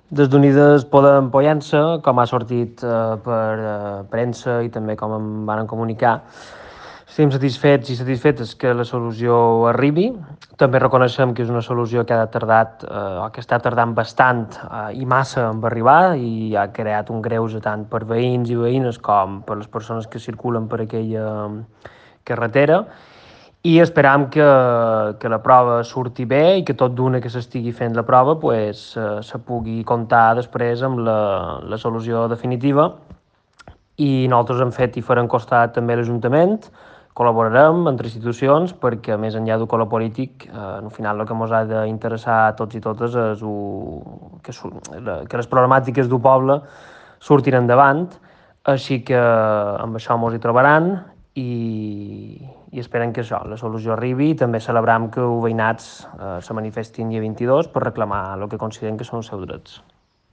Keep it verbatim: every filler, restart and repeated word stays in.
Des d'Unides Podem Pollença, com ha sortit eh, per eh, premsa i també com em van comunicar, estem satisfets i satisfetes que la solució arribi. També reconeixem que és una solució que ha tardat, eh, o que està tardant bastant eh, i massa en arribar i ha creat un greuge tant per veïns i veïnes com per les persones que circulen per aquella carretera. I esperam que, que la prova surti bé i que tot d'una que s'estigui fent la prova pues, eh, se pugui comptar després amb la, la solució definitiva. I nosaltres hem fet i farem costat també l'Ajuntament, col·laborarem entre institucions perquè més enllà del color polític, eh, al final el que ens ha d'interessar a tots i totes és u, que, que les problemàtiques del poble surtin endavant, així que amb això ens hi trobaran i, i esperen que això, la solució arribi i també celebram que els veïnats eh, se manifestin dia vint-i-dos per reclamar el que consideren que són els seus drets.